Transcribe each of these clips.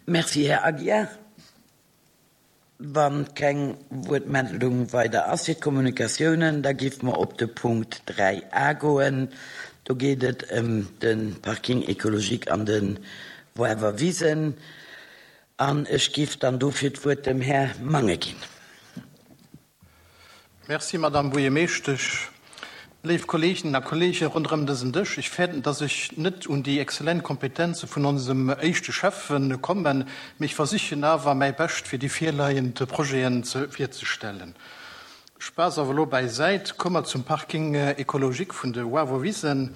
Merci, Här Aguiar. Wa keng Wuertmeldung weider ass fir d'Kommunikatiounen, da géife mer op de Punkt 3 a goen. Do geet et ëm de Parking écologique an de Woarwer Wisen. An ech géif dann dofir d'Wuert dem Här Mange ginn. Merci, Madame Buergermeeschtesch. Léif Kolleeginnen a Kolleegen ronderëm dësen Dësch, ech fäerten, dass ech net un déi exzellent Kompetenze vun onsem éischte Schäffe kommen, mee ech versichen awer mäi Bescht, fir déi virleiend Projeten virzestellen. Spaass awer elo bäisäit, komme mer zum Parking écologique vun de Wavowisen.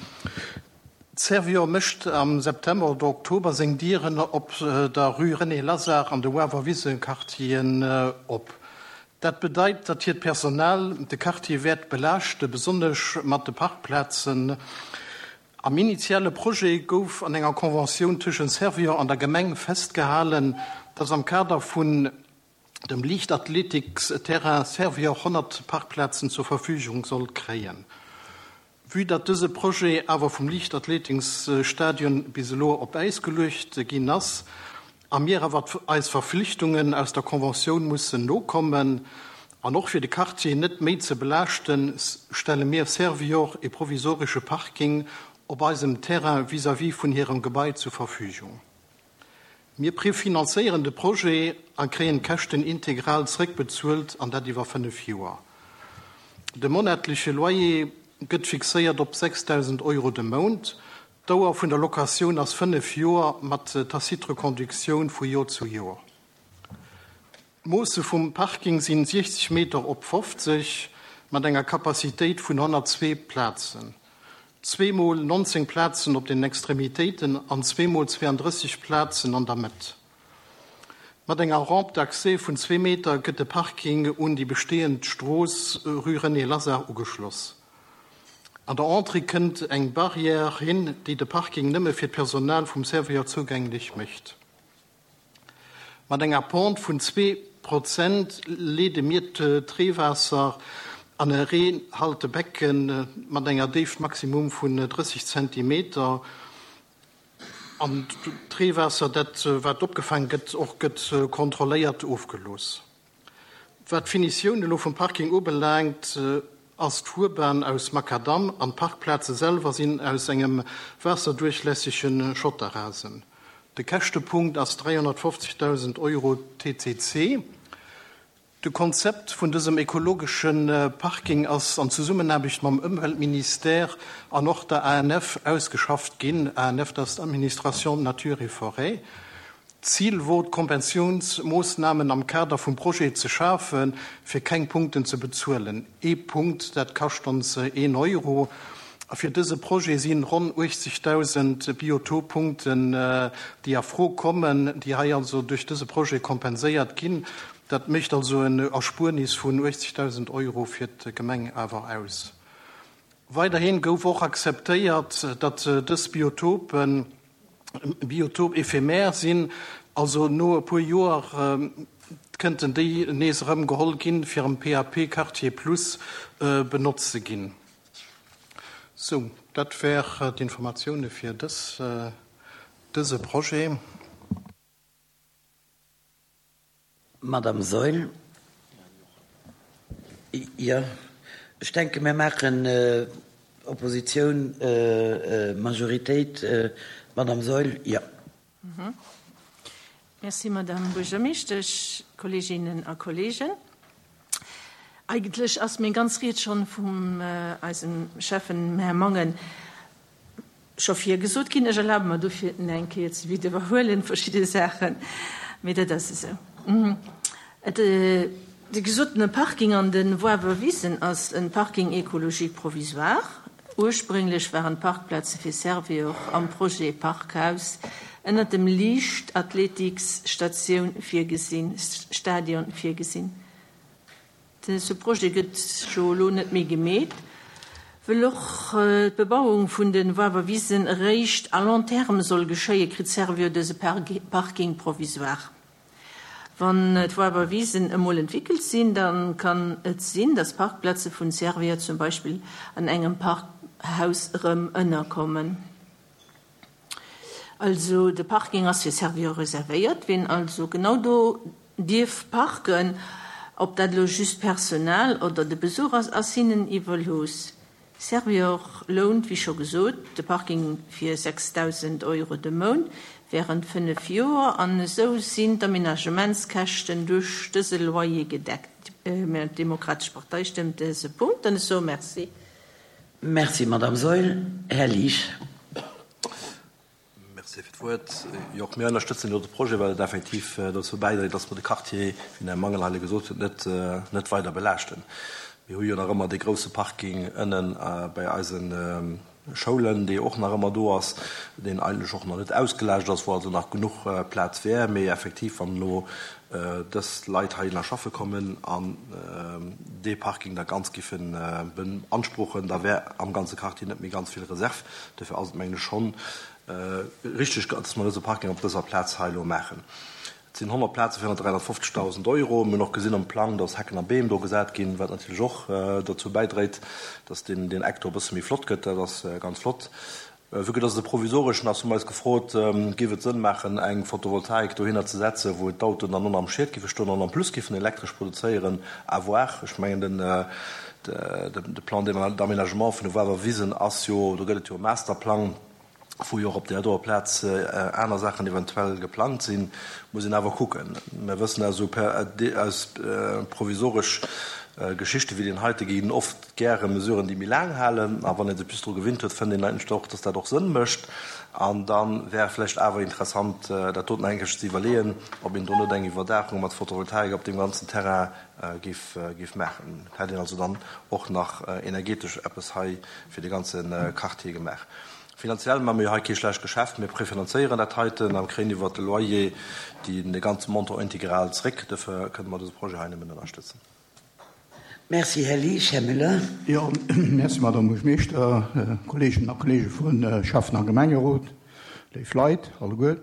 D'Servior mécht am September oder Oktober seng Dieren op der Rue René Lazard an de Wawerwise-Quartieren op. Dat bedeit, datt hiert Personal de Quartier wäert belaaschte, besonnesch mat de Parkplazen. Am initiale Projet gouf an enger Conventioun tëschent Servior an der Gemeng festgehalen, datt am Kader vun dem Liichtathletiksterrain Servior 100 Parkplazen zur Verfügung sollt kréien. Vue datt dëse Projet awer vum Liichtathletiksstadion bis elo op Äis geluecht ginn ass a mir awer eis Verflichtungen aus der Conventioun mussen nokommen an och fir de Quartier net méi ze belaaschten, stelle mir Servior e provisoresche Parking op eisem Terrain vis-à-vis vun hirem Gebai zur Verfügung. Mir prefinanzéieren de Projet a kréien d'Käschten integral zréckbezuelt, an dat iwwer 5 Joer. De monatleche Loyer gëtt fixéiert op 6.000 Euro de Mount. D'Dauer vun der Locatioun ass 5 Joer mat tacite Reconductioun vu Joer zu Joer. D'Moosse vum Parking sinn 60 Meter op 50 mat enger Capacitéit vun 102 Plazen. Zweemol 19 Plazen op den Extremitéiten an zweemol 32 Plazen an der Mëtt. Mat enger Rampe d'accès vun zwee Meter gëtt de Parking un déi bestehend Strooss Rue René Lazard ugeschloss. An der Entrée kënnt eng Barrière hin, déi de Parking nëmme fir d'Personal vum Servior zougänglech mécht. Mat enger Pente vun 2 Prozent leede mir d'Reewaasser an e Reehaltebecken mat enger Déift maximum vun 30 Zentimeter. An d'Reewaasser, dat wat opgefaang gëtt, och gëtt kontrolléiert ofgelooss. Wat d'Finitioun elo vum Parking ubelaangt, ass d'Fuerbahn aus Makadamm an d'Parkplaze selwer sinn aus engem waasserduerchlässege Schotterrasen. De Käschtepunkt ass 350.000 Euro TCC. De Konzept vun dësem ekologesche Parking ass an Zesummenaarbecht mam Ëmweltministère an och der ANF ausgeschafft ginn. ANF, dat ass d'Administration Nature et Forêt. D'Zil wor, d'Kompensiounsmoossnamen am Kader vum Projet ze schafen, fir keng Punkten ze bezuelen. Ee Punkt, dat kascht ons een Euro. A fir dëse Projet si ronn 80.000 Biotoppunkten, déi a Fro kommen, déi hei also duerch dëse Projet kompenséiert ginn. Dat mécht also en Erspuernis vun 80.000 Euro fir d'Gemeng awer aus. Weiderhin gouf och akzeptéiert, datt dës Biotopen, Biotope éphémère sinn, also no e puer Joer kënnten déi nees erëm geholl ginn, fir am PAP Quartier Plus benotzt ze ginn. Sou, dat wär d'Informatioune fir dëse Projet. Madame Saeul. Jo, ech denke mir maachen Oppositioun, Majoritéit. Madame Saeul, jo. Merci, Madame Buergermeeschtesch, Kolleeginnen a Kolleegen. Eigentlech ass meng ganz Ried schonn vum eisem Schäffen, Här Mangen, scho virgesot ginn. Ech erlabe mer dofir en eng Kéier ze widderhuelen, verschidde Saachen, mee dat ass esou. De gesotene Parking an de Woarwer Wisen ass e Parking écologique provisoire. Ursprénglech waren d'Parkplaze fir Servior am Projet Parkhaus ënner dem Liichtathletiksstatioun virgesinn, Stadion virgesinn. Dëse Projet gëtt jo elo net méi gemeet, wëll och d'Bebauung vun de Woarwer Wisen eréischt à long terme soll geschéien, kritt Servior dëse Parking provisoire. Wann d'Woarwer Wisen emol entwickelt sinn, da kann et sinn, datt Parkplaze vun Servior zum Beispill an engem Parkhaus erëm ënnerkommen. Also de Parking ass fir Servior reservéiert. Wien also genau do dierf parken, ob dat elo just d'Personal oder de Besuch ass, ass hinnen iwwerlooss. Servior lount, wéi scho gesot, de Parking fir 6.000 Euro de Mount wärend 5 Joer an esou sinn d'Aménagementskäschten duerch dëse Loyer gedeckt. D'Demokratesch Partei stëmmt dëse Punkt an ech soe Merci. Merci, Madamm Saeul. Här Liesch. Merci fir d'Wuert. Jo, och mir ënnerstëtzen jo de Projet, well et effektiv dozou bäidréit, dass mer de Quartier, wéi den Här Mangen hei gesot huet, net, net weider belaaschten. Mir hu jo nach ëmmer dee grouse Parking ënnen bei eise Schoulen, dee och nach ëmmer do ass, deen eigentlech och nach net ausgelaascht ass, wou also nach genuch Plaz wär. Mee effektiv, wann elo dës Leit heihinner schaffe kommen an dee Parking da ganz giffe beanspruchen, da wär am ganze Quartier net méi ganz vill Reserv. Dofir ass et, mengen ech, schonn richteg, dass mer dëse Parking op dëser Plaz hei elo maachen. Et sinn 100 Plaze fir 350.000 Euro. Mir hunn och gesinn am Plang, dass Hecken a Beem do gesat ginn, wat natierlech och dozou bäidréit, dass deen Eck do e bësse méi flott gëtt. Dat ass ganz flott. Vue que dass et e provisoreschen ass, hu mer eis gefrot, géif et Sënn maachen, eng Photovoltaik dohinner ze setzen, wou d'Autoen dann och am Schiet géife stoen an en plus géifen Elektresch produzéieren? À voir. Ech mengen, den de Plan d'aménagement vun de Wawer Wisen ass jo, do gëtt et jo e Masterplang, wou jo och op där doer Plaz aner Saachen eventuell geplangt sinn. Muss een awer kucken. Mir wëssen aus esou aus provisoresch Geschichte wéi deen heite ginn oft gäre Mesuren, déi méi laang halen. A wann ee sech bis dru gewinnt huet, fënnt een eigentlech och, dass dat och Sënn mécht. An da wär vläicht awer interessant, dat doten eng Kéier ze iwwerleeën, ob een do net eng Iwwerdaachung mat Photovoltaik op deem ganzen Terrain géif géif maachen. Hätt een also dann och nach energetesch eppes hei fir de ganze Quartier gemaach. Finanziell maache mir jo hei kee schlecht Geschäft. Mir prefinanzéieren dat heiten a kréien iwwert de Loyer déi de ganze Montant integral zréck. Dofir kënne mer dëse Projet hei nëmmen ënnerstëtzen. Merci, Här Liesch. Här Müller. Jo, merci, Madame Buergermeeschter, Kolleeginnen a Kolleege vun Schäffen a Gemengerot, léif Leit alleguer.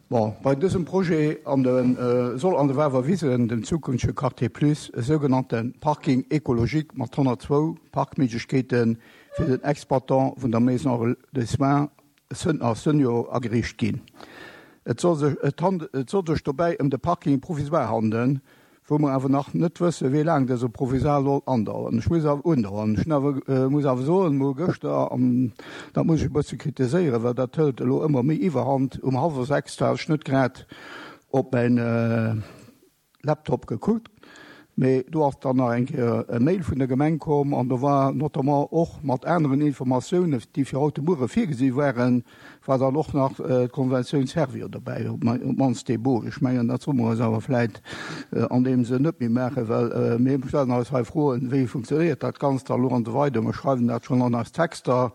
Bon, bei dësem Projet an de soll an de Wawer Wisen, dem zukünftege Quartier Plus, e sougenannte Parking écologique mat 102 Parkméiglechkeete fir den Exploitant vun der Maison de soins a Senior ageriicht ginn. Et soll sech et soll sech dobäi ëm de Parking provisoire handelen, wou mer awer nach net wëssen, wéi laang dëse Provisoire soll andauern. Ech muss awer undauern. Ech hunn awer, muss awer soen, mol gëschter, an dat muss ech e bësse kritiséieren, well dat hëlt elo ëmmer méi Iwwerhand, um hallwer 6 war ech net grad op mäin Laptop gekuckt, mee do ass dann nach eng Kéier e Mail vun der Gemeng komm an do war notamment och mat aneren Informatiounen, déi fir haut de Muere virgesi waren, war dann och nach d'Konventioun Servior dobäi, op d'mannst dee Bot. Ech mengen, dat solle mer eis awer vläit an deem Sënn net méi maachen, well mir stellen eis hei Froen, wéi funktionéiert dat Ganzt da elo an esou weider. Mer schreiwen dat schonn an eis Texter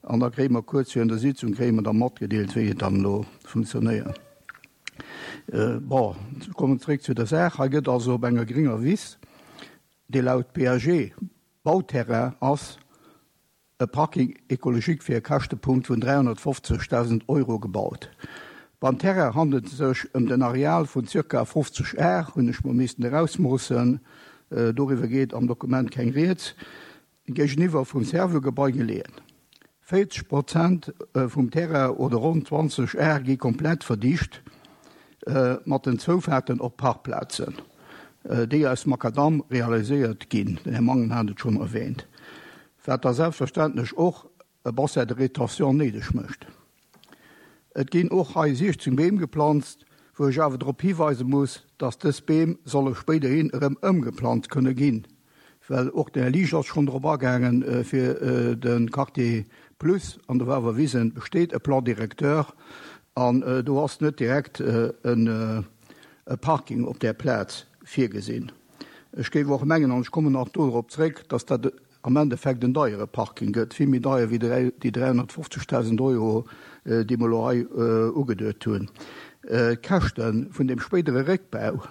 an da kréie mer kuerz virun der Sitzung kréie mer da matgedeelt, wéi et dann elo funktionéiert. Bon, kommen zréck zu der Saach. Hei gëtt also op enger gringer Wiss, déi laut PAG Bauterrain ass, e Parking écologique fir e Käschtepunkt vun 350.000 Euro gebaut. Beim Terrain handelt et sech ëm den Areal vun zirka 50 Ar, hunn ech mol missten erausmoossen, doriwwer geet am Dokument keng Rieds, géigeniwwer vum Servo-Gebai geleeën. 40 Prozent vum Terrain oder ronn 20 Ar gi komplett verdicht mat den Zoufaarten op Parkplazen, déi aus Makadamm realiséiert ginn, den Här Mangen hat et schonn erwähnt. Wat da selbstverständlech och e Bassin de rétention néideg mécht. Et ginn och hei 16 Beem geplanzt, wou ech awer drop hiweise muss, dass dës Beem solle spéiderhin erëm ëmgeplanzt kënne ginn, well och den Här Liesch ass schonn drop agaangen, fir de Quartier Plus an de Wawer Wisen besteet e Plan directeur an do ass net direkt e Parking op där Plaz virgesinn. Ech géif och mengen, an ech kommen nach dodrop zréck, dass dat am Endeffekt en deiere Parking gëtt, vill méi deier wéi déi 350.000 Euro, déi mer elo hei ugeduet hunn. D'Käschte vun deem spéidere Réckbau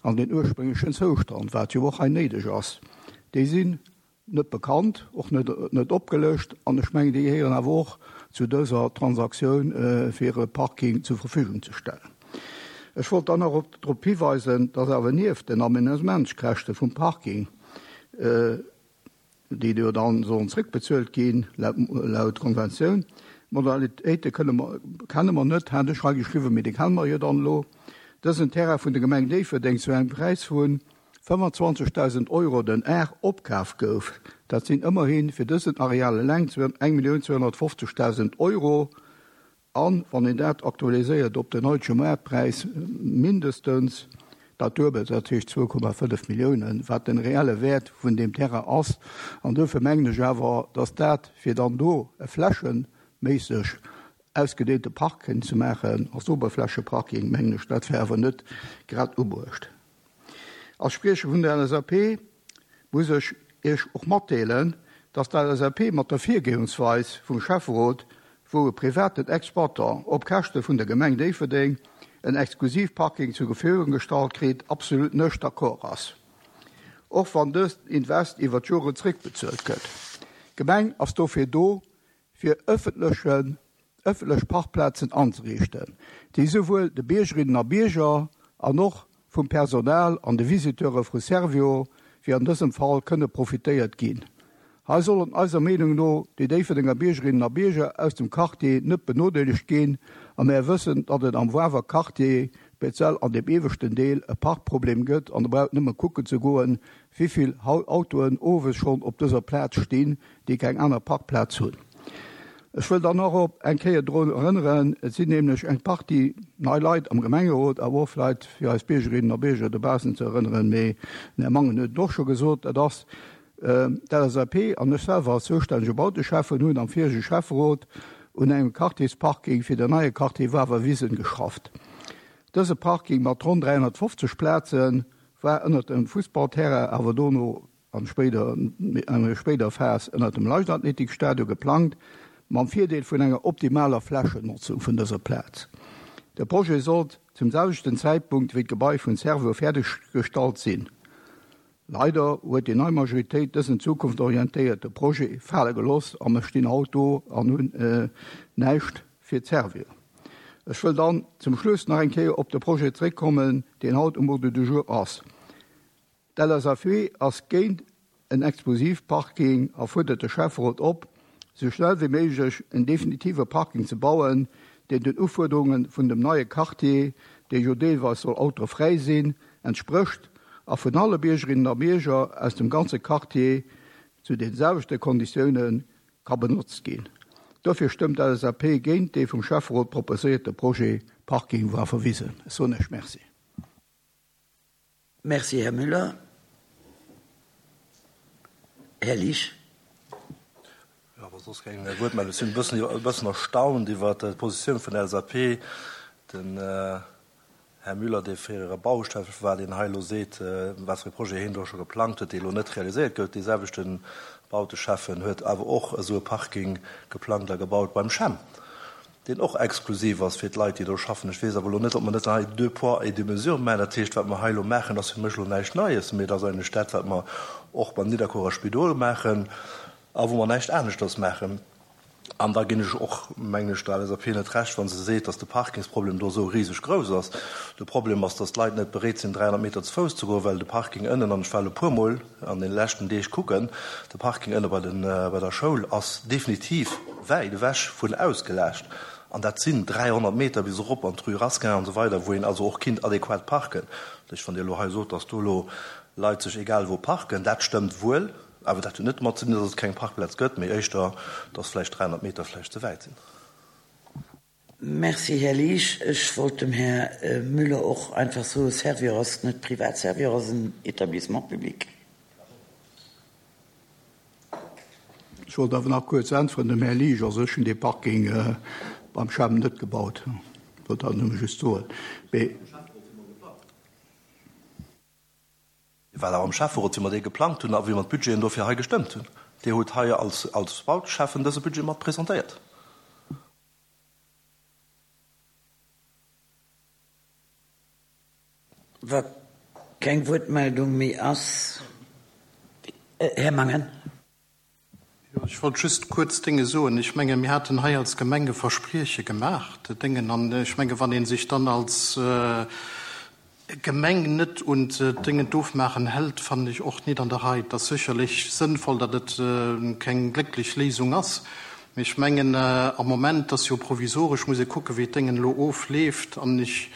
an den ursprénglechen Zoustand, wat jo och hei néideg ass, déi sinn net bekannt, och net opgelëscht, an ech mengen, déi gehéieren awer och zu dëser Transaktioun, fir e Parking zur Verfügung ze stellen. Ech wollt dann nach drop hiweisen, dass awer nieft den Aménagementskäschte vum Parking, déi jo dann sollen zréckbezuelt ginn, laut Konventioun. D'Modalitéite kënne mer, kenne mer net, hat ech hei geschriwwen, mee déi kenne mer jo dann elo. Dësen Terrain vun der Gemeng Déifferdeng zu engem Präis vu 25.000 Euro den Ar opkaf gouf, dat sinn ëmmerhi fir dësen Areal eleng 1.250.000 Euro, An, wann een dat aktualiséiert op den haitege Maartpräis, mindestens dat Duebelt, dat heescht 2,5 Milliounen, wat den reelle Wäert vun deem Terrain ass. An duerfir mengen ech awer, dass dat, fir dann do e flächeméisseg ausgedeente Parking ze maachen, als Oberflächeparking, mengen ech, dat wär awer net grad ubruecht. Als Spriecher vun der LSAP muss ech Iech och matdeelen, dass d'LSAP mat der Virgoensweis vum Schäfferot, wou e privaten Exploitant op Käschte vun der Gemeng Déifferdeng en Exklusivparking zur Verfügung gestallt kritt, absolut nech d'accord ass, och wann dëst Invest iwwer d'Jore zréckbezuelt gëtt. D'Gemeng ass dofir do, fir ëffentlechen ëffentlech Parkplazen anzeriichten, déi souwuel de Biergerinnen a Bierger an och vum Personal an de Visiteure vu Servior, wéi an dësem Fall, kënne profitéiert ginn. Hei sollen eiser Meenung no déi Déifferdenger Biergerinnen a Bierger aus dem Quartier net benodeelegt ginn a mär wëssen, datt et am Wawer Quartier, speziell an deem ieweschten Deel, e Parkproblem gëtt an der braucht nëmme kucken ze goen, wéivill Autoen owes schonn op dëser Plaz stinn, déi keng aner Parkplaz hunn. Ech wëll dann och op eng Kéier drun erënneren, et sinn nämlech eng Partie nei Leit am Gemengerot, awer och vläicht fir eis Biergerinnen a Bierger dobaussen ze erënneren, mee den Här Mangen huet et och scho gesot, dat ass d'LSAP an ech selwer als zoustännege Bauteschäffen hunn am virege Schäfferot un engem Quartiersparking fir den neie Quartier Wawerwisen geschafft. Dëse Parking mat ronn 350 Plaze war ënnert dem Fussballterrain, awer dono an spéider enger spéider Phas ënnert dem Leichtathletikstadion geplangt, mam Virdeel vun enger optimaler Flächennotzung vun dëser Plaz. De Projet sollt zum selwechten Zäitpunkt wéi d'Gebai vun Servo fäerdeggestallt sinn. Leider huet déi nei Majoritéit dësen zukunftorientéierte Projet fale geloss a mer stinn haut do an hunn näischt fir d'Servio. Ech wëll dann zum Schluss nach eng Kéier op de Projet zréckkommen, deen haut um Ordre du jour ass. D'LSAP ass géint en Explosivparking a fuerdert de Schäfferot op, sou schnell wéi méiglech en definitive Parking ze bauen, deen den Ufuerderunge vun dem neie Quartier, dee jo deelweis soll autofräi sinn, entsprécht a vun alle Biergerinnen a Bierger aus dem ganze Quartier zu den selwechte Konditioune ka benotzt ginn. Dofir stëmmt d'LSAP géint dee vum Schäfferot proposéierte Projet Parking Waferwisen. Ech soen Iech Merci. Merci, Här Müller. Här Liesch. Jo, wa soss keng Wuertmeldung sinn. E bëssen, e bëssen erstaunt iwwert d'Positioun vun der LSAP. Den Här Müller, dee fréiere Bauschäffe war, deen hei elo seet, wat fir e Projet hien do scho geplangt huet, dee elo net realiséiert gouf. Dee selwechte Bauteschäffen huet awer och esou e Parking geplangt a gebaut beim CHEM. deen och exklusiv ass fir d'Leit, déi do schaffen. Ech weess awer elo net, ob mer net hei deux poids et deux mesures maachen. Dat heescht, wat mer hei elo maachen, ass fir mech elo näischt Neies, mee et ass eigentlech dat, wat mer och beim Nidderkuerer Spidol maachen a wou mer näischt aneschters maachen. An da ginn ech och, mengen ech, der LSAP net Recht, wa se seet, dass de Parkingsproblem do esou riseg grouss ass. De Problem ass, dass d'Leit net bereet sinn, 300 Meter ze Fouss ze goen, well de Parking ënnen, an ech war elo e puermol an deene leschten Deeg kucken, De Parking ënne bei den, bei der Schoul ass definitiv wäit ewech vun ausgelaascht. An dat sinn 300 Meter bis erop an d'Rue Rasquin an esou weider, wou een also och kinnt adequat parken. Dat heescht, wann Dir elo hei sot, datt do elo Leit sech egal wou parken, dat stëmmt wuel, awer dat huet net domat ze dinn, datt et keng Parkplaz gëtt, mee éischter, datt vläicht 300 Meter vläicht ze wäit sinn. Merci, Här Liesch. Ech wollt dem Här Müller och einfach soen, Servior ass net privat, Servior ass en Établissement public. Ech wollt awer nach kuerz äntweren dem Här Liesch. Also ech hunn dee Parking beim Chem net gebaut, wollt dat nëmme just soen. Mee. Well awer am Schäfferot, wéi mer dee geplangt hunn a wéi mer d'Budgeten dofir hei gestëmmt hunn, Dir hutt hei als als Bauteschäffen dëse Budget mat presentéiert. Wa keng Wuertmeldung méi ass, Här Mangen. Jo, ech wollt just kuerz Dénge soen. Ech menge mir haten hei als Gemeng e Versprieche gemaach, Déngen, an ech menge wann ee sech dann als Gemeng net un d'Déngen d'Ofmaachen hält, fannen ech och nit an der Rei. Et ass sécherlech sënnvoll, datt et keng glécklech Léisung ass. Mee ech mengen, am Moment ass jo provisoresch, muss ee kucken, wéi d'Déngen elo ofleeft. An ech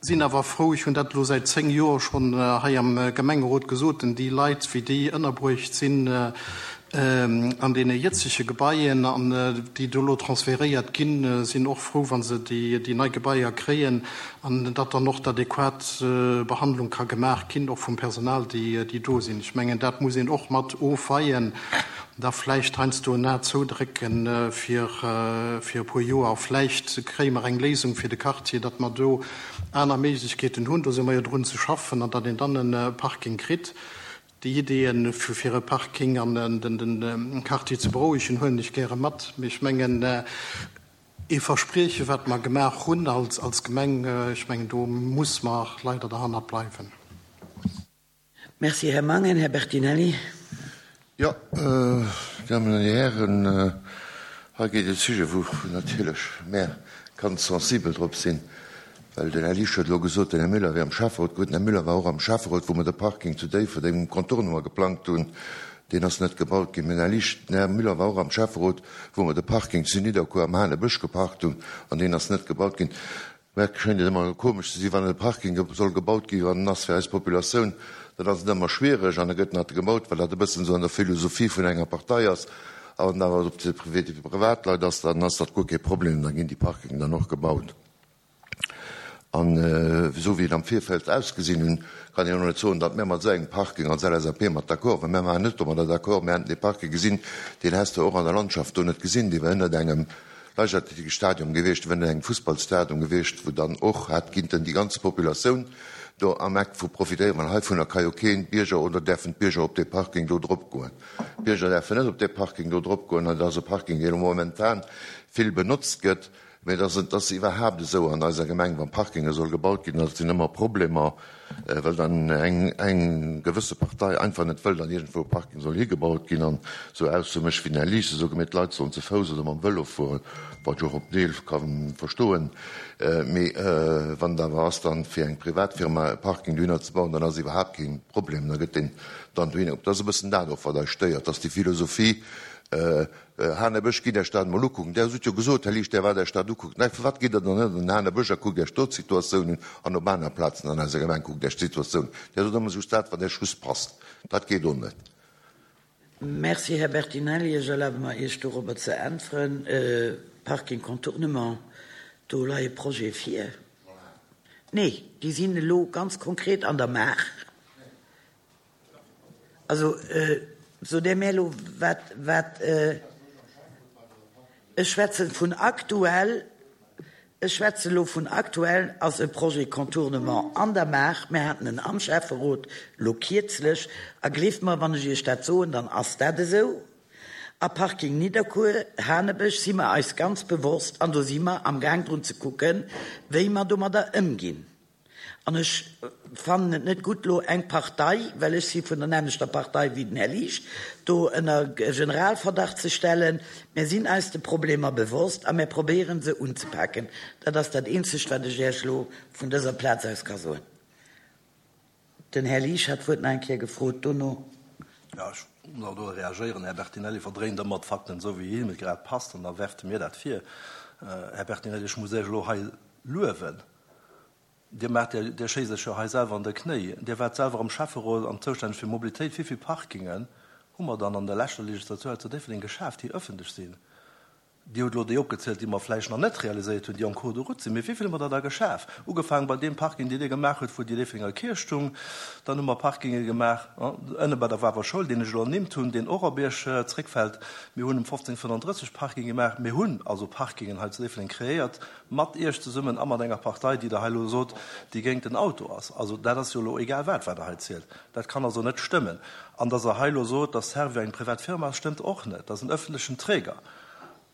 sinn awer frou, ech hunn dat elo säit 10 Joer schonn hei am Gemengerot gesot, denn déi Leit, wéi déi ënnerbruecht sinn an deene jëtzege Gebaien an déi do elo transferéiert ginn, sinn och frou, wa se déi nei Gebaier kréien an datt dann och d'adequat Behandlung ka gemaach ginn, och vum Personal, déi do sinn. Ech mengen, dat muss een och mat ofweien. Da vläicht heiansdo en A zoudrécken fir e puer Joer. Vläicht kréie mer eng Léisung fir de Quartier, datt mer do aner Méiglechkeeten hunn. Do si mer jo drun ze schaffen, an datt een dann e Parking kritt. Déi Ideeën, fir e Parking an de Quartier ze berouegen, huelen ech gäre mat. Mee ech mengen, ee Versprieche wat mer gemaach hunn als Gemeng, ech mengen, do muss mer leider derhannert bleiwen. Merci, Här Mangen. Här Bertinelli. Jo, Dammen an Dir Hären, hei geet e Sujet, wou natierlech mär ganz sensibel drop sinn, well den Här Liesch huet elo gesot, den Här Müller wier am Schäfferot. Gutt, den Här Müller war och am Schäfferot, wou mer de Parking zu Déifferdeng um Contournement geplangt hunn. Deen ass net gebaut ginn. Mä den Här Liesch, den Här Müller war och am Schäfferot, wou mer de Parking zu Nidderkuer am Hanebësch geparkt hunn, an deen ass net gebaut ginn. Mä et schéngt ëmmer komesch ze sinn, wann e Parking soll gebaut ginn, an en ass fir eis Populatioun, dann ass et ëmmer schwiereg an da gëtt nach gebaut, well dat e bëssen esou an der Philosophie vun enger Partei ass. A wann et awer op de Privatleit ass, dann ass dat guer kee Problem, da ginn déi Parkingen dann och gebaut. An esou wéi et am Virfeld ausgesinn hunn, kann een och net soen, datt mär mat esou engem Parking als LSAP mat d'accord waren. Mär waren net domadder d'accord. Mär haten dee Parking gesinn, deen häss de och an der Landschaft do net gesinn, dee war ënnert engem Leichtathletikstadion gewiescht, wou ënnert engem Fussballstadion gewiescht, wou dann och hätt kinnten déi ganz Populatioun do am Eck vu profitéieren, well heivunner ka jo keen Bierger oder däerfen d'Bierger op dee Parking do drop goen. D'Bierger däerfen net op dee Parking do drop goen an et ass e Parking, dee momentan vill benotzt gëtt. Mä et ass, et ass iwwerhaapt esou an eiser Gemeng, wa Parkinge soll gebaut ginn, da sinn ëmmer Problemer, well dann eng, eng gewësse Partei einfach net wëll, datt iergendwou e Parking soll higebaut ginn an esou Aussoe mécht wéi den Här Lies esou gemeet, d'Leit sollen ze Fouss oder mam Vëlo fueren, wat ech och op Deel ka verstoen. Mee wann et awer ass dann fir eng Privatfirma e Parking dohinner ze bauen, dann ass iwwerhaapt kee Problem, da gëtt deen dann dohinner. Dat ass e bëssen dat och, wat eis stéiert, dass déi Philosophie, Hanebësch, gitt Iech dat emol ukucken. Där hutt jo gesot, Här Liesch, Där waart Iech dat ukucken. Mä firwat gitt Der dann net an den Hanebësch a kuckt Iech do d'Situatioun un an op aner Plazen an eiser Gemeng kuckt Iech d'Situatioun un. Där sot ëmmer just dat, wat Iech just passt. Dat geet och net. Merci, Här Bertinelli. Ech erlabe mer, Iech dorobber ze äntweren. Parking Contournement, do leie Projete vir. Nee, déi sinn elo ganz konkret an der Maach. Also, sot Der mär elo, wat, wat, ech schwätzen vun aktuell, ech schwätzen elo vun aktuell, ass e Projet Contournement an der Maach. Mir haten en am Schäfferot elo kierzlech, a gleeft mer, wann ech Iech dat soen, dann ass dat esou. A Parking Nidderkuer, Hanebësch si mer eis ganz bewosst an do si mer amgaang drun ze kucken, wéi mer domadder ëmginn. An ech fannen et net gutt, elo eng Partei, well ech si vun der nämmlechter Partei wéi den Här Liesch, do ënner Generalverdacht ze stellen. Mär sinn eis de Problemer bewosst a mär probéieren se unzepaken. Dat ass dat Eenzegt, wat ech Iech elo vun dëser Plaz aus ka soen. Den Här Liesch hat d'Wuert nach eng Kéier gefrot dono. Jo, ech muss och do reagéieren. Den Här Bertinelli verdréint ëmmer d'Fakten esou, wéi him et grad passt, an da werft e mir dat vir. Här Bertinelli, ech muss Iech elo hei luewen. Dir maacht, Dir schéisst Iech jo hei selwer an de Knéi. Dir waart selwer am Schäfferot an zoustänneg fir Mobilitéit. Wéi vill Parkingen hu mer dann an der leschter Legislatur hei zu Déifferdeng geschaaft, déi ëffentlech sinn? Dir hutt elo déi opgezielt, déi mer vläicht nach net realiséiert hunn, déi en cours de route sinn. Mee wéi vill hu mer der da geschaf? Ugefaangen bei deem Parking, deen Dir gemaach hutt, wou déi Déifferdenger Kierch stung. Dann hu mer Parkinge gemaach ënne bei der Wawer Schoul, deen ech elo ernimmt hunn, deen och op Iech zréckfält. Mir hunn um 1535 Parking gemaach. Mir hunn also Parkingen hei zu Déifferdeng kreéiert, mat Iech zesummen a mat enger Partei, déi Der hei elo sot, déi géint den Auto ass. Also dat ass jo elo egal wat, wat Der hei zielt. Dat kann also net stëmmen. An dass Der hei elo sot, dass Servior eng privat Firma ass, stëmmt och net. Dat ass en öffentlechen Träger.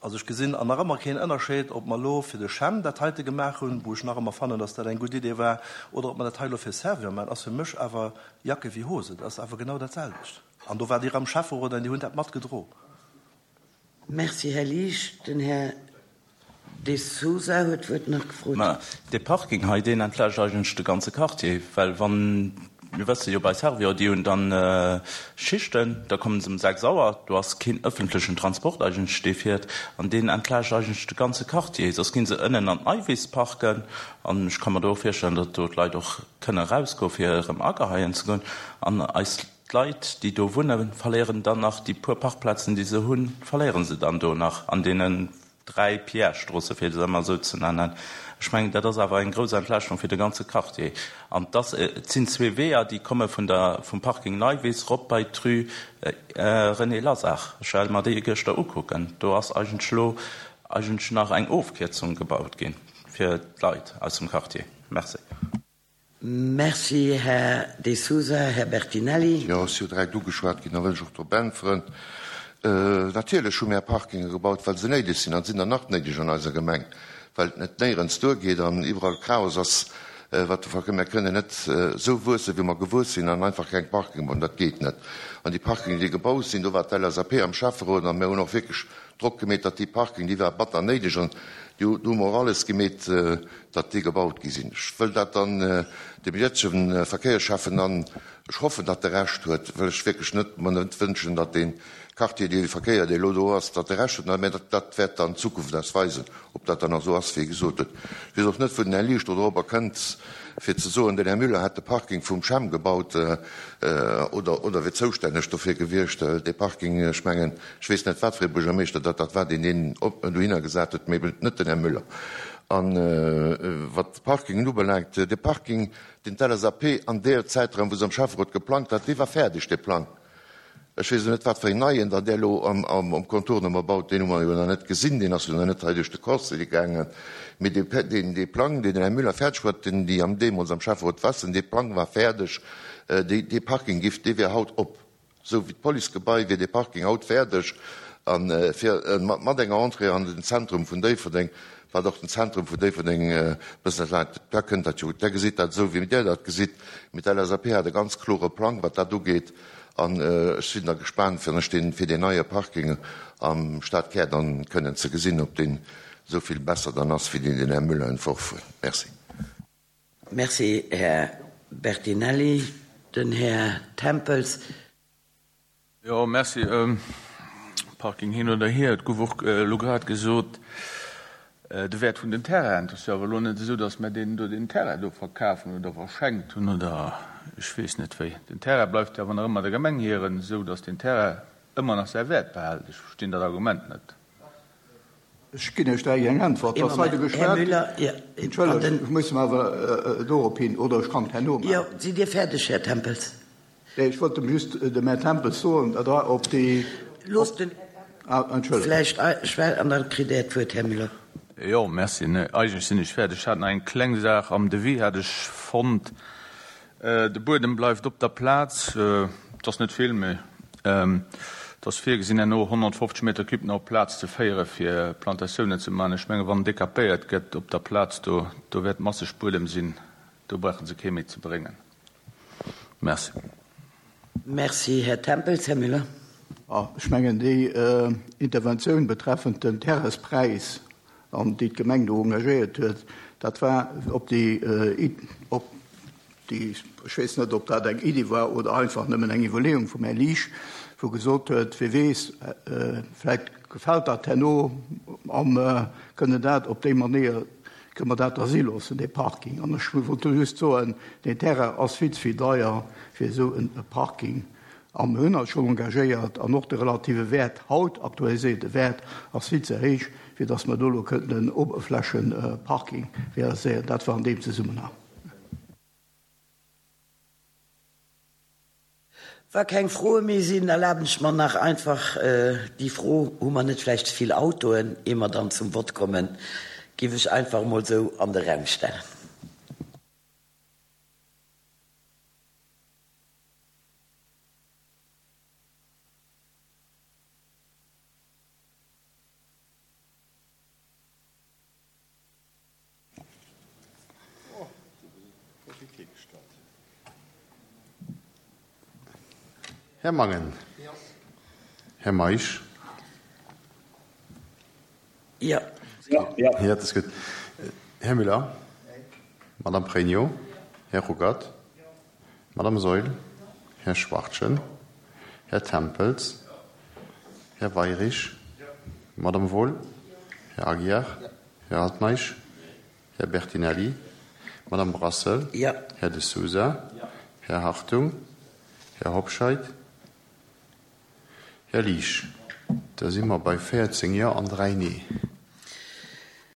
Also ech gesinn an nach ëmmer keen Ënnerscheed, ob mer elo fir de CHEM dat heite gemaach hunn, wou ech nach ëmmer fannen, dass dat eng gutt Idee war, oder ob mer dat hei elo fir Servior maachen, ass fir mech awer Jacke wéi Hose. Dat ass awer genau dat selwecht. An do waart Dir am Schäfferot an Dir hunn dat matgedro. Merci, Här Liesch. Den Här De Sousa huet d'Wuert nach gefrot. Mä dee Parking hei, deen entlaascht eigentlech de ganze Quartier, well wann. Mir wësse jo bei Servior, déi hunn dann Schichten, da kommen se um 6 Auer, do ass keen ëffentlechen Transport eigentlech dee fiert an deen entlaascht eigentlech de ganze Quartier. Soss ginn se ënnen an d'Neiwiss parken an ech ka mer do och virstellen, datt do d'Leit och kënne erausgoe fir erëm ageheien ze goen an eis D'Leit déi do wunnen, verléieren dann nach déi puer Parkplazen déi se hunn, verléiere se dann do nach an deenen 3 Pierre-Stroosse fir se ëmmer esou ze nennen. Ech mengen, dat ass awer eng grouss Entlaaschtung fir de ganze Quartier. An et ass, et sinn zwee Weeër, déi komme vun der, vum Parking Neiwiss rop bei d'Rue René Lasar. Ech well mer déi gëschter ukucken. Do ass eigentlech elo eigentlech nach eng Ofkierzung gebaut gi fir d'Leit aus dem Quartier. Merci. Merci, Här De Sousa. Här Bertinelli. Jo, ass jo direkt ugeschwat ginn, da wëll ech och drop äntweren. Natierlech hu mär Parkinge gebaut, well se néideg sinn an sinn der nach néideg an eiser Gemeng, well et net néierens duergeet an iwwerall Chaos ass, wat de Verkéier. Mär kënnen net esou wuessen, wéi mer gewuess sinn an einfach keng Parkinge bauen, dat geet net. An déi Parkingen, déi gebaut sinn, do war d'LSAP am Schäfferot a mär hunn och wierklech Drock gemeet, datt déi Parking, déi war batter néideg an do hu mer och alles gemeet, datt déi gebaut gi sinn. Ech wëll dat dann dem jëtzegen Verkéierschäffen an ech hoffen, datt e Recht huet, well ech wierklech net mer net wënschen, datt dee Quartier, dee Verkéier, dee elo do ass, datt e Recht huet. Mä dat, dat wäert dann d'Zukunft eis weisen, ob dat dann nach esou ass, wéi e gesot huet. Ech weess och net, wou den Här Liesch do dorobber kënnt, fir ze soen, den Här Müller hätt de Parking vum CHEM gebaut oder, oder wier zoustänneg dofir gewiescht. Dee Parking, ech mengen, Ech weess net, wat fir ee Buergermeeschter dat dat war, deen deen dohinner gesat huet, mee eben net den Här Müller. A wat d'Parkingen ubelaangt, dee Parking, deen d'LSAP an deer Zäitraum, wou se am Schäfferot geplangt hat, dee war fäerdeg, dee Plang. Ech weess elo net, wat fir een neien dann där elo am Contournement baut, deen hu mer jo nach net gesinn, deen ass jo nach net hei duerch de Conseil gaangen. Mee dee Plang, deen den Här Müller fäerdeg huet, deen déi deemools am Schäfferot wassen, dee Plang war fäerdeg, dee Parking giff, dee wier haut op. Sou wéi d'Policegebai wier dee Parking haut fäerdeg a fir mat enger Entrée an den Zentrum vun Déifferdeng, wat och den Zentrum vun Déifferdeng e bëssen entlaangt. Da kënnt dat jo. Der gesitt dat esou wéi Dir dat gesitt, mee d'LSAP hat e ganz klore Plang wat dat ugeet an ech sinn da gespaant fir ech deen fir deen neie Parking am Stadkär dann kënnen ze gesinn, ob deen esou vill besser dann ass wéi deen deen Här Müller entworf huet. Merci. Merci, Här Bertinelli. Den Här Tempels. Jo, merci. Parking hin oder hier, et gouf och elo grad gesot, de Wäert vun den Terrainen. Et ass jo awer elo net esou, datt mer deenen do deen Terrain do verkafen oder verschenkt hunn oder ech weess net wéi. Den Terrain bleift jo awer nach ëmmer der Gemeng hiren, esou datt deen Terrain ëmmer nach säi Wäert behält. Ech verstinn dat Argument net. Ech ginn Iech direkt eng Äntwert. Dass hei de Geschwat, Entschëllegt, ech muss mer awer dorop hin, oder ech kann et herno maachen. Jo, sidd Dir fäerdeg, Här Tempels? Nee, ech wollt dem just dem Här Tempels soen, datt Der op déi. Loosst den Här Tempels vläicht schwätzen an da kritt Der d'Wuert, Här Müller. Jo, merci. Nee, eigentlech sinn ech fäerdeg. Ech hat nach eng kleng Saach am Devis, hat ech fonnt. De Buedem bleift op der Plaz, et ass net vill, mee et ass virgesinn, herno 150 Meter Cube nach op d'Plaz ze féiere fir Plantatiounen ze maachen. Ech menge wann decapéiert gëtt op der Plaz do, do wäert masseg Buedem sinn, do brauche se kee méi ze bréngen. Merci. Merci, Här Tempels. Här Müller. Ech mengen déi Interventioun betreffend den Terraispräis an déi d'Gemeng do engagéiert huet, dat war op déi, op déi, ech weess net, ob dat eng Iddi war oder einfach nëmmen eng Iwwerleeung vum Här Liesch, wou gesot huet, wie weess, vläicht gefält dat herno a mer kënnen dat op déi Manéier, kënne mer dat da si loossen, dee Parking. An ech wollt do just soen, deen Terrain ass vill ze vill deier fir esou e Parking. A mir hunn eis schonn engagéiert, an och de relative Wäert haut, aktualiséierte Wäert, ass vill ze héich, fir datt mer do elo kënnten en Oberflächenparking realiséieren. Dat war an deem Zesummenhang. Wa keng Froe méi sinn, erlaben ech mer nach einfach déi Fro, Hu mer net vläicht ze vill Autoen? Ier mer dann zum Vott kommen, géif ech einfach emol esou an de Raum stellen. Här Mangen. Här Meisch. Jo. Jo, dat ass gutt. Här Müller. Madame Pregno. Här Ruckert. Madame Saeul, Här Schwachtgen, Här Tempels, Här Weirich, Madame Wohl, Här Aguiar, Här Altmeisch, Här Bertinelli, Madame Brassel, Här De Sousa, Här Hartung, Här Hobscheit, Här Liesch. Da si mer bei 14 Jo an 3 Nee.